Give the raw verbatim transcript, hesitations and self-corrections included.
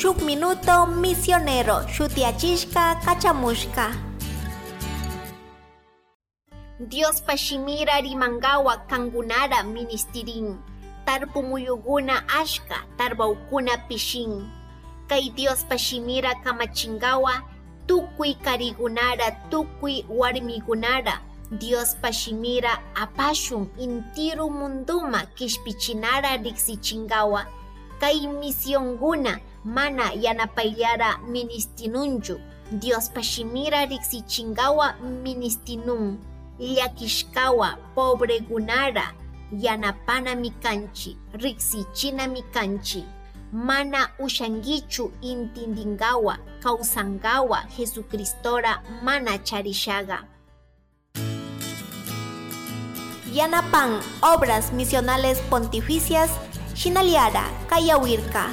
Shuk minuto misionero shutiachishka kachamushka. Diospa shimira rimangawa kangunara ministirin. Tarpu muyuguna ashka, tarbaukuna pishin. Kay Diospa shimira kamachingawa tukuy karigunara, tukuy warmigunara Diospa shimira apashun intiru munduma kishpichinara riksichingawa. Kay misionguna mana yanapayllara ministinunchu. Diospa shimira riksichingawa ministinun. Llakishkawa pobregunara yanapana mikanchi, riksichina mikanchi. Mana ushanguichu intindingawa, kausangawa Jesucristora mana charishaga. Yanapan Obras Misionales Pontificias shinallara kayawirka.